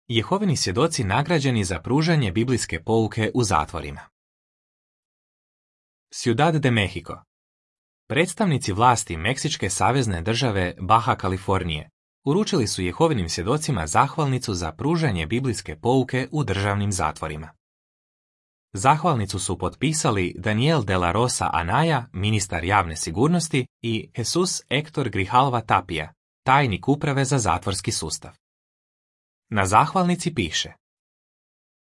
Jehovini svjedoci nagrađeni za pružanje biblijske pouke u zatvorima. Ciudad de Mexico. Predstavnici vlasti Meksičke savezne države Baja Kalifornije uručili su Jehovinim svjedocima zahvalnicu za pružanje biblijske pouke u državnim zatvorima. Zahvalnicu su potpisali Daniel de la Rosa Anaya, ministar javne sigurnosti, i Jesus Héctor Grijalva Tapia, tajnik uprave za zatvorski sustav. Na zahvalnici piše: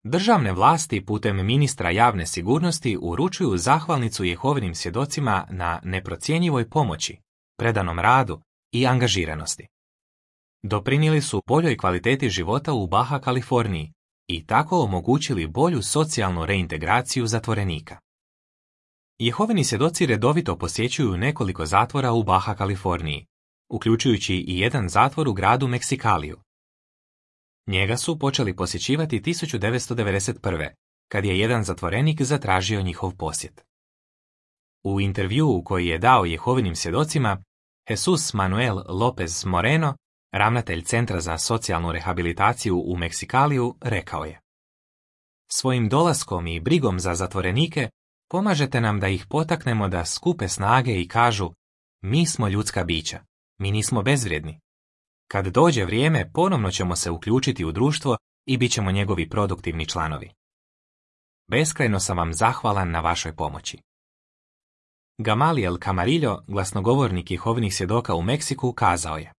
Državne vlasti putem ministra javne sigurnosti uručuju zahvalnicu Jehovinim svjedocima na neprocjenjivoj pomoći, predanom radu i angažiranosti. Doprinijeli su boljoj kvaliteti života u Baja Kaliforniji i tako omogućili bolju socijalnu reintegraciju zatvorenika. Jehovini svjedoci redovito posjećuju nekoliko zatvora u Baja Kaliforniji, uključujući i jedan zatvor u gradu Meksikaliju. Njega su počeli posjećivati 1991. kad je jedan zatvorenik zatražio njihov posjet. U intervjuu koji je dao Jehovinim svjedocima, Jesus Manuel López Moreno, ravnatelj Centra za socijalnu rehabilitaciju u Meksikaliju, rekao je: Svojim dolaskom i brigom za zatvorenike pomažete nam da ih potaknemo da skupe snage i kažu: mi smo ljudska bića, mi nismo bezvrijedni. Kad dođe vrijeme, ponovno ćemo se uključiti u društvo i bit ćemo njegovi produktivni članovi. Beskrajno sam vam zahvalan na vašoj pomoći. Gamaliel Camarillo, glasnogovornik Jehovinih svjedoka u Meksiku, kazao je: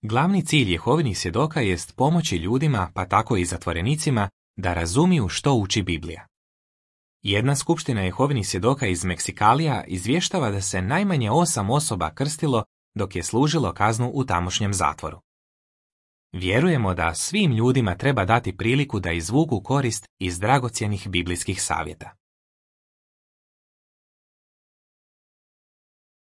Glavni cilj Jehovinih svjedoka jest pomoći ljudima, pa tako i zatvorenicima, da razumiju što uči Biblija. Jedna skupština Jehovinih svjedoka iz Meksikalija izvještava da se najmanje 8 osoba krstilo dok je služilo kaznu u tamošnjem zatvoru. Vjerujemo da svim ljudima treba dati priliku da izvuku korist iz dragocjenih biblijskih savjeta.